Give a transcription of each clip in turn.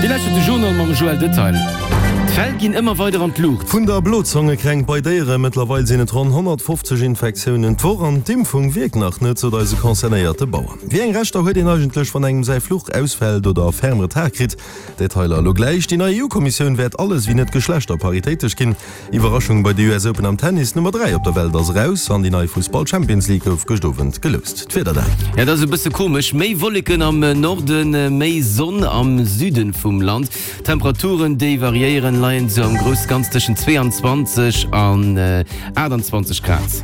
Dir lauschtert de Journal mam Joël Detail. D'Fäll ginn ëmmer weider an d'Luucht. Vun der Blozongekränkt bei Déiere, Mëttlerweil sinn et ronn 150 Infektiounen d'Woch an d'Impfung wierkt nach net, sot eise concernéierte Bauer. Wéi eng Rechter huet een eigentlech, wann engem säi Fluch ausfält oder ferm Retard kritt? Detailer elo gläich. Déi nei EU-Kommissioun wäert alles ewéi net geschlechterparitéitesch ginn. Iwwerraschung bei de US Open am Tennis, D'Nummer 3 op der Welt ass eraus an déi nei Fussball-Champions League gouf gëscht Owend geloust. D'Wieder dann. Ja, dat ass e bësse komesch, méi Wolleken am Norden, méi Sonn am Süden vum Land. D'Temperaturen, déi variéieren, leien sou am grousse Ganzen tëschent 22 an 28 Grad.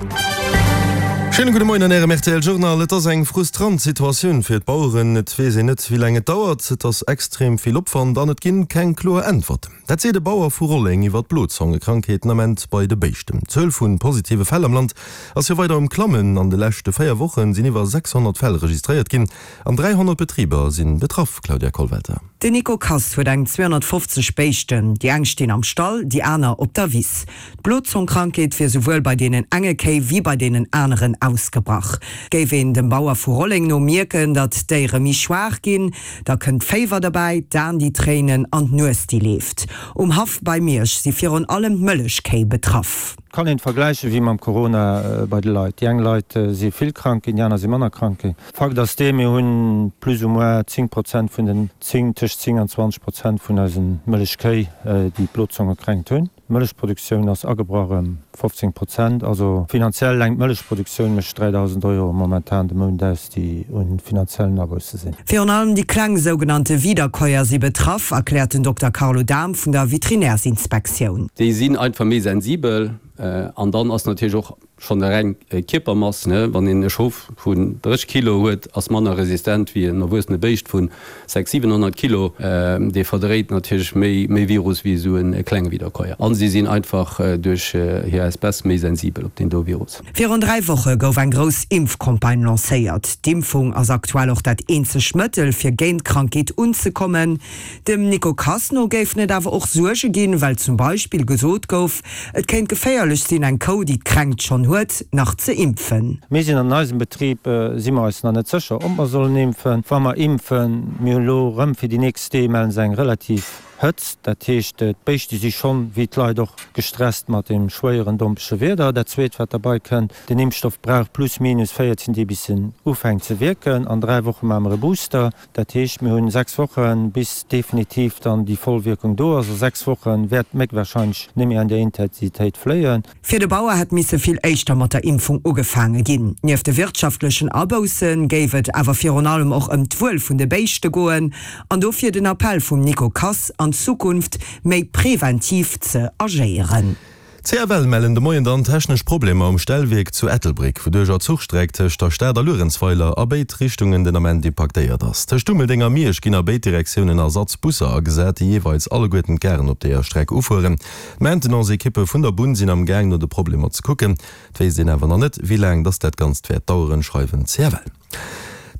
Schéine gudde Moien an Ärem rtl Journal. Et ass eng frustrant Situatioun fir d'Baueren. Et weess een net, wéi laang et dauert. Et ass extrem vill Opwand an et ginn keng kloer Äntwerten. Dat seet e Bauer vu Rolleng iwwer d'Blozongekrankheet den Ament bei de Béischten. D'Zuel vu positive Fäll am Land ass jo weider um Klammen. An de leschte 4 Woche sinn iwwer 600 Fäll registréiert ginn an 300 Betriber si betraff, Claudia Kollwelter. Den Nico Kass huet eng 250 Béischten. Déi eng stinn am Stall, déi aner op der Wiss. D'Blozongkrankheet wier souwuel bei deenen enge Kéi wéi bei deenen aneren ausgebrach. Géif een dem Bauer vu Rolleng no mierken, datt d'Déiere méi schwaach ginn, Da kënnt d'Féiwer derbäi, d'Aen déi tréinen an d'Nues déi leeft. Um Haff bei Miersch si virun allem d'Mëllechkéi betraff. Kann een vergläichen wéi mam Corona bei de Leit. Déi eng Leit si vill krank ginn, déi aner si manner krank ginn. Fakt ass dee, mir hunn plus ou moins 10 Prozent vun den 10, tëscht 10 an 20 Prozent vun eisen Mëllechkéi, déi d'Blozongekränkt hunn. D'Mëllechproduktioun ass agebrach ëm 15 Prozent. Also finanziell eleng d'Mëllechproduktioun mécht 3.000 Euro momentan de Mount aus, déi u finanziellen Abousse sinn. Virun allem déi kleng sougenannte Wiederkäuer si betraff, erkläert den Dokter Carlo Dahm vun der Veterinärsinspektioun. Déi sinn einfach méi sensibel an dann ass natierlech och Schonn eleng d'Kierpermass, wann een e Schof vun 30 Kilo huet, ass manner resistent wéi en erwuessene Béischt vu 6, 700 Kilo. Dee verdréit natierlech méi Virus wéi esou e klenge Wiederkäuer. A si sinn einfach duerch hir Espèce méi sensibel op deen do Virus. Virun 3 Woche gouf eng grouss Impfcampagne lancéiert. D'Impfung ass aktuell och dat eenzegt Mëttel, fir géint d'Krankheet unzekommen. Dem Nico Kass no géifen et awer och Suerge ginn, well zum Beispill gesot gouf, et kéint geféierlech sinn, eng Kou, déi d'Kränkt schonn huet, nach ze impfen. Mir sinn an eisem Betrib, si mer eis nach net sécher, ob mer sollen impfen. Wa mer impfen, mir hunn elo erëm fir déi nächst Dee mellen se eng relativ Hëtzt, dat heescht d'Béischte si schonn, wéi d'Leit och, gestresst mat deem schwéieren dompege Wieder. Dat Zweet wat derbei kënnt, den Impfstoff brauch plus minus 14 Dee bis en ufänkt ze wierken. An 3 Woche maache mer e Booster. Dat heescht, mir hunn 6 Wochen, bis definitiv dann déi voll Wierkung do ass. A 6 Woche wäert d'Méck wahrscheinlech net méi an där Intensitéit fléien. Fir de Bauer hätt misse vill éischter mat der Impfung ugefaange ginn. Nieft de wirtschaftlechen Abousse géif et awer virun allem och ëm d'Wuel vun de Béischte goen an dofir den Appell vum Nico Kass, an Zukunft méi preventiv ze agéieren. D'CFL mellen de Moien dann technesch Problemer um Stellwierk zu Ettelbréck, wouduercher d'Zuchstreck tëscht der Stad a Luerenzweiler a béid Richtungen den Ament impaktéiert ass. Tëscht Dummeldeng a Miersch ginn a béid Direktiounen Ersatzbusser agesat, déi jeeweils alleguerten d'Garen op deeër Streck ufueren. D'Maintenance-Ekippe vun der Bunn sinn am Gaang no de Problemer ze kucken. Et wéisst een awer nach net, wéi laang dass dat Ganzt wäert daueren, schreiwen d'CFL.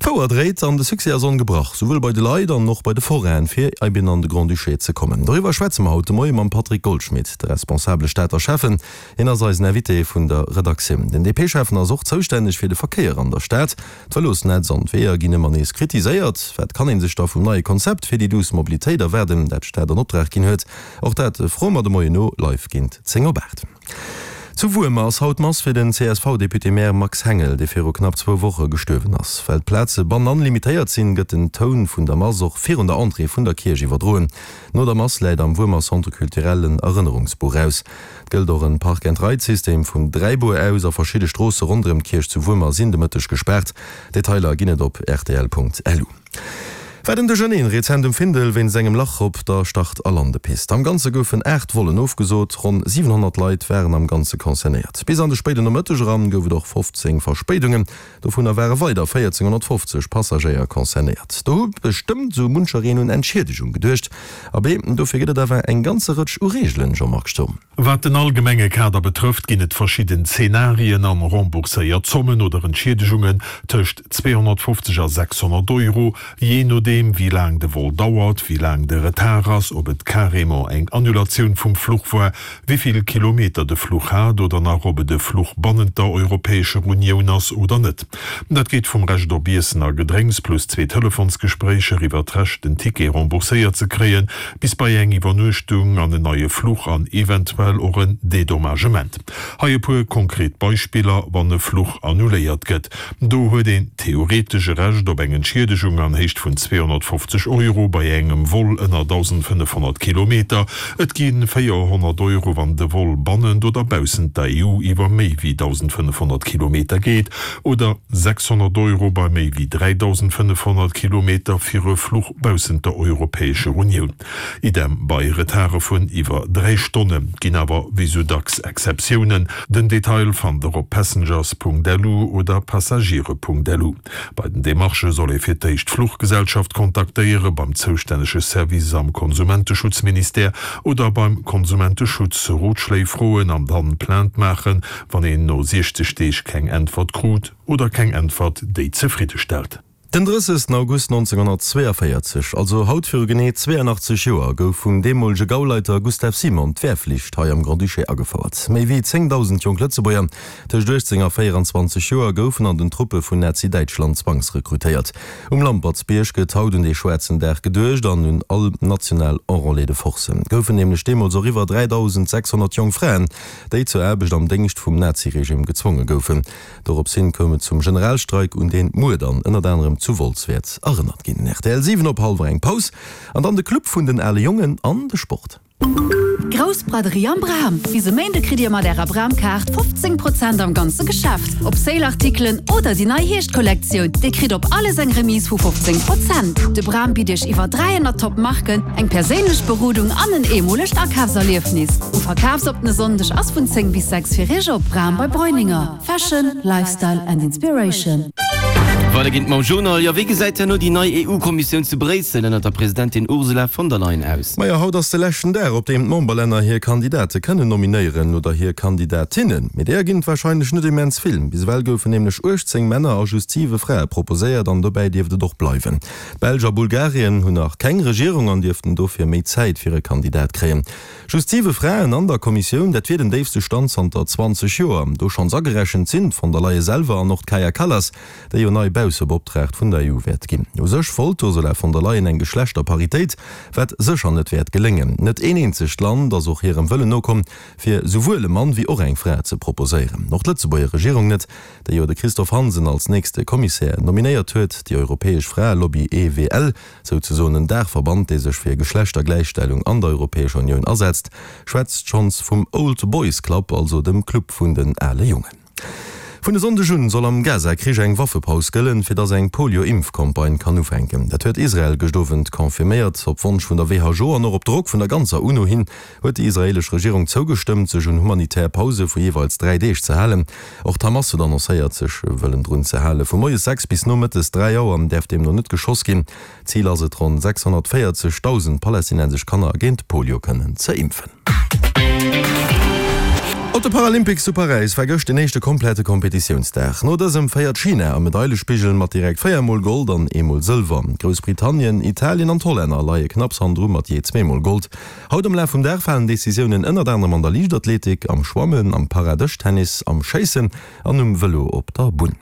D'Fouer dréit an de Succès ass ongebrach, souwuel bei de Leit an och bei de Forainen, fir eben an de Grand-Duché ze kommen. Doriwwer schwätze mer haut de Moie mam Patrick Goldschmidt, de responsabele Stater Schäffen. Hien ass eisen Invité vun der Redaktioun. Den DP-Schäffen ass och zoustänneg fir de Verkéier an der Stad. D'Vëlosnetz an d'Weeër ginn ëmmer nees kritiséiert. Wat kann ee sech da vum neie Konzept fir déi duuss Mobilitéit erwaarden, dat d'Stad an Optrag ginn huet? Och dat froe mer de Moien no live géint 10 op 8. Zu Wuermer ass haut Mass fir den CSV-Député-Maire Max Hengel, dee viru knapp zwou Woche gestuerwen ass. Well d'Plaze bannan limitéiert sinn, gëtt den Toun vun der Mass och virun der Entrée vun der Kierch iwwerdroen. No der Mass läit am Wuermer Centre Culturel en Erënnerungsbuch aus. Et gëllt och en Park-and-Ride-System vum Dräibuer aus a verschidde Stroosse ronderëm d'Kierch zu Wuermer sinn de Mëtteg gespaart. Detailer ginn et op rtl.lu. War den Duercherneen rezent um Findel wéinst engem Lach op der Start a Landepist. Am Ganze goufen 8 Vollen ofgesot, ronn 700 Leit waren am Ganze concernéiert. Bis an de spéiden Nomëtteg eran gouf et och 15 Verspéidungen, dovunner ware weider 1.450 Passagéier concernéiert. Do hu bestëmmt esou munchereen un Entschiedegung geduecht. Abee, dofir gëtt et awer eng ganze Rëtsch u Reegelen, Jean-Marc Sturm. Wat den allgemenge Kader betrëfft, ginn et verschidden Zenarien an rembourséiert Zommen oder Entschiedegungen tëscht 250 a 600 Euro, jee nodeem. nodeem wéi laang de Vol dauert, wéi laang de Retard ass, ob et carrément eng Annulatioun vum Fluch war, wéi vill Kilometer de Fluch hat oder nach ob et e Fluch bannent der Europäescher Unioun ass oder net. Dat geet vum Recht op Iessen a Gedrénks plus zwee Telefonsgespréicher iwwer d'Recht den Ticket rembourséiert ze kréien, bis bei eng Iwwernuechtung an en neie Fluch an eventuell och en Dédommagement. Hei e puer konkret Beispiller, Wann e Fluch annuléiert gëtt, do huet een theoretesch e Recht op eng Entschiedegung an Héicht vun 250 Euro bei engem Vol ënner 1.500 Kilometer. Et gi 400 Euro, wann de Vol bannent oder baussent der EU iwwer méi wéi 1.500 Kilometer geet, oder 600 Euro bei méi wéi 3.500 Kilometer fir e Fluch baussent der Europäescher Unioun. Idem bei Retarde vun iwwer 3 Stonnen. Ginn awer wéi sou dacks Exceptiounen. Den Detail fannt der op passengers.lu oder passagiere.lu. Bei den Demarchë soll ee fir d'éischt d'Fluchgesellschaft kontaktéiere, beim zoustännege Service am Konsumenteschutzministère oder beim Konsumenteschutz Rotschléi froen an dann Plainte maachen, wann een no 60 Deeg keng Äntwert krut oder keng Äntwert, déi zefriddestellt. Den 30 August 1942, also haut viru genee 82 Joer, gouf vum deemolege Gauleiter Gustav Simon d'Wehrflicht hei am Grand-Duché agefouert. Méi wéi 10.000 jonk Lëtzebuerger tëscht 18 a 24 Joer goufen an den Truppe vun Nazi-Däitschland zwangsrekrutéiert. Um Lampertsbierg gëtt haut un dee schwaarzen Dag geduecht an un all national Enrôlés de force. Goufen nämlech deemools och iwwer 3.600 jonk Fraen, déi zur Aarbecht am Déngscht vum Naziregime gezwonge goufen. Dorops hin koum et zum Generalstreik, un deen muer dann ënnert anerem zu Wolz wäert erënnert ginn. Rtl 7 op hallwer eng Paus an dann de Club vun den ale Jongen an de Sport. Grouss Braderie am Bram! Bis e Méinde kritt Dir mat Ärer Bram-Kaart 15 Prozent am ganze Geschäft. Op Sale-Artikelen oder déi nei Hierscht-Kollektioun. Dir kritt op alles eng Remise vu 15 Prozent. De Bram bitt Iech iwwer 300 Top Marken, eng perséinlech Berodung an en eemolegt Akafserliefnis. U verkafsoppene Sonndeg ass vun 10 bis 6 fir Iech op. Bram bei Breuninger. Fashion, Lifestyle and Inspiration. Weider geet et mam Journal. Jo, wéi gesäit herno déi nei EU-Kommissioun zu Bréissel ënnert der Presidentin Ursula von der Leyen aus? Majo, haut ass de leschten Dag, op deem d'Memberlänner hir Kandidate kënnen nominéieren, oder hir Kandidatinnen. Mee deeër ginn et warscheinlech net immens vill. Bis ewell goufen nämlech 18 Männer a just 7 Frae proposéiert an dobäi dierft et och bleiwen. D'Belsch a Bulgarien hunn nach keng Regierung an dierften dofir méi Zäit fir e Kandidat kréien. Just 7 Fraen an der Kommissioun, dat wier den déifste Stand zanter 20 Joer. Do schonns agerechent sinn d'von der Leyen selwer an och d'Kaja Kallas, déi jo nei Baussebeoptraagt vun der EU wäert ginn. U sech wollt d'Ursula von der Leyen eng Geschlechterparitéit, wat sécher net wäert geléngen. Net een eenzegt Land ass och hirem Wëllen nokomm, fir souwuel e Mann wéi och eng Fra ze proposéieren. Och d'Lëtzebuerger Regierung net, déi jo de Christophe Hansen als nächste Kommissär nominéiert huet. Déi europäesch Fraelobby EWL Souzesoen en Daachverband, dee sech fir Geschlechtergläichstellung an der Europäescher Unioun asetzt, schwätzt schonns vum Old Boys Club, also dem Club vun den ale Jongen. Vun e Sonndeg un soll am Gaza-Krich eng Waffepaus gëllen, fir dass eng Polio-Impfcampagne kann ufänken. Dat huet Israel gëscht Owend confirméiert. Op Wonsch vun der WHO an och op Drock vun der ganzer UNO hin huet déi israeelesch Regierung zougestëmmt, sech un humanitär Pause vu jeeweils 3 Deeg ze halen. Och d'Hamas huet annoncéiert, sech wëllen drun ze halen. Vu moies 6 bis nomëttes 3 Auer däerf deemno net geschoss ginn. Zil ass et, ronn 640.000 palästinensesch Kanner géint Polio kënnen ze impfen. Op de Paralympics zu Paräis war gëscht den éischte komplette Kompetitiounsdag. No dësem féiert China am Medailespigel mat direkt 4 mol Gold an eemol Sëlwer. Groussbritannien, Italien an d'Hollänner leie knapps hannendru mat jee zweemol Gold. Haut am Laf vum Dag falen Decisiounen ënnert anerem an der Liichtathletik, am Schwammen, am Paradëschtennis, am Schéissen an um Vëlo op der Bunn.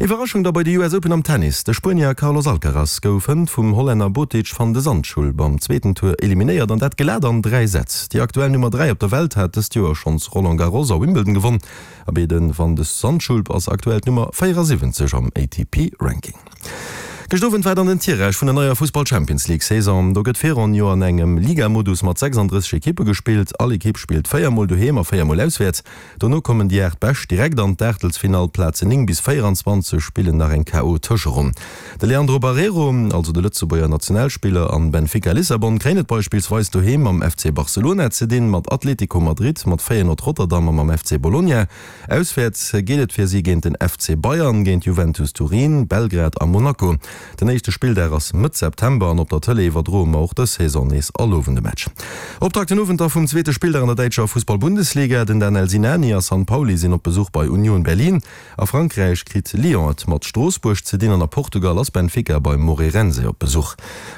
Iwwerraschung da bei de US Open am Tennis, De Spuenier Carlos Alcaraz gouf hënt vum Hollänner Botic van de Zandschulp am zweeten Tour eliminéiert an dat glat an 3 Sätz. Déi aktuell Nummer 3 op der Welt hat dëst Joer schonns Roland Garros a Wimbledon gewonn. Abee de Van de Zandschulp ass aktuell d'Nummer 74 am ATP-Ranking. Gëscht Owend war dann den Tirage vun der neier Fussball-Champions League Saison. Do gëtt Virronn jo an engem Liga-Modus mat 36 Ekippe gespillt. All Ekipp spillt 4 mol doheem a 4 mol auswäerts. Dono kommen déi 8 Bescht direkt an d'Aachtelsfinall. D'Plazen 9 bis 24 spillen nach eng KO-Tëscheronn. De Leandro Barreiro, also de Lëtzebuerger Nationalspiller, an Benfica Lissabon kréien et beispillsweis doheem mam FC Barcelona ze dinn, mat Atlético Madrid, mat Feyenoord Rotterdam a mam FC Bologna. Auswäerts geet et fir si géint den FC Bayern, géint Juventus Turin, Belgrad a Monaco. Den éischte Spilldag ass Mëtt September an op der Tëlee iwwerdroe mer och dës Saison nees all Owend e Match. Optakt den Owend da vum zweete Spilldag an der däitscher Fussball-Bundesliga. Den Danel Sinani a San Pauli sinn op Besuch bei Union Berlin. A Frankräich kritt Lyon et mat Stroossbuerg ze dinn an a Portugal ass Benfica bei Moreirense op Besuch.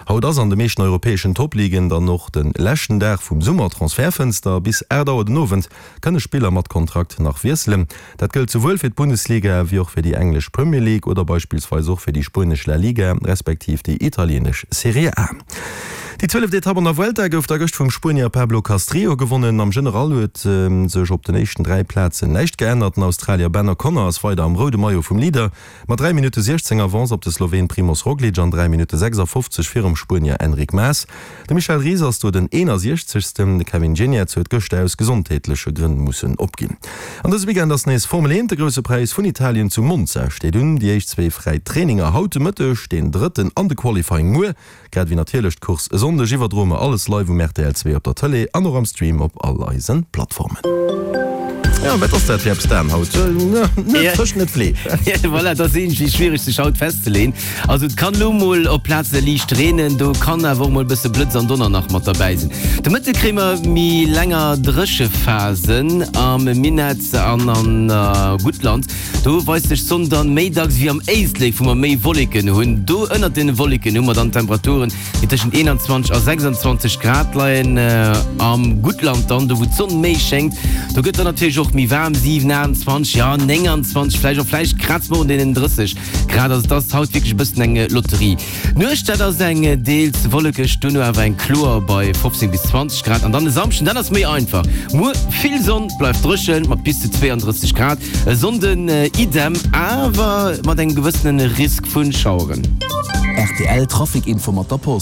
Haut ass an de meeschten europäeschen Topligen dann och de leschten Dag vum Summertransfertfënster. Bis 8 Auer den Owend kënne Spiller mat Kontrakt nach wiesselen. Dat gëllt souwuel fir d'Bundesliga wéi och fir déi englesch Premier League oder beispillsweis och fir déi spuenesch La Liga respektiv déi italieenesch Serie A. Déi zwieleft Etapp an der Vuelta gouf da gëscht vum Spuenier Pablo Castrillo gewonnen. Am General huet sech op den éischten 3 Plazen näischt geännert. Den Australier Ben O'Connor ass weider am roude Maillot vum Leader mat 3 Minutte 16 Avance op de Sloween Primoz Roglic an 3 Minutte 56 virum Spuenier Enric Mas. De Michel Ries ass do den 61. De Kevin Geniets huet gëschter aus gesondheetleche Grënn mussen opginn. An dëse Weekend ass nees Formel 1, de Grousse Präis vun Italien zu Monza steet un. Déi éischt zwee fräi Traininger haut de Mëtteg, deen drëtten an de Qualifying muer, grad ewéi natierlech d'Course e Sonndeg iwwerdroe mer alles live um rtl 2 op der Tëlee an och am Stream op all eise Plattformen. Jo, wat ass dat fir eppes Dan haut? Net Fësch, net Fleesch. Voilà, et ass iergendwéi schwiereg sech haut festzeleeën. Also et kann lo mol op Plaze liicht reenen, do kann awer och mol e bësse Blëtz an Donner nach mat derbäi sinn. De Mëtte kréie mer méi länger Dréchephasen am Minett an an Guttland. Do weist sech d'Sonn dann méi dacks wéi am Éislek, wou mer méi Wolleken hunn. Do ënnert den Wolleken hu mer dann Temperaturen, déi tëschent 21 a 26 Grad leien. Am Guttland dann, do wou d'Sonn méi schéngt, do gëtt dann natierlech och méi waarm, 7, 28, jo 29 vläicht och, vläicht kraze mer un deenen 30. Grad, also et ass haut wierklech e bëssen eng Lotterie. D'Nuecht, dat ass eng deels wollekeg, duerno awer eng kloer bei 15 bis 20 Grad. An dann e Samschden, dat ass méi einfach, muer vill Sonn, bleift dréchen mat bis zu 32 Grad. E Sonnden idem, awer mat engem gewëssene Risk vu Schaueren. Rtl Trafic Info mat der Post.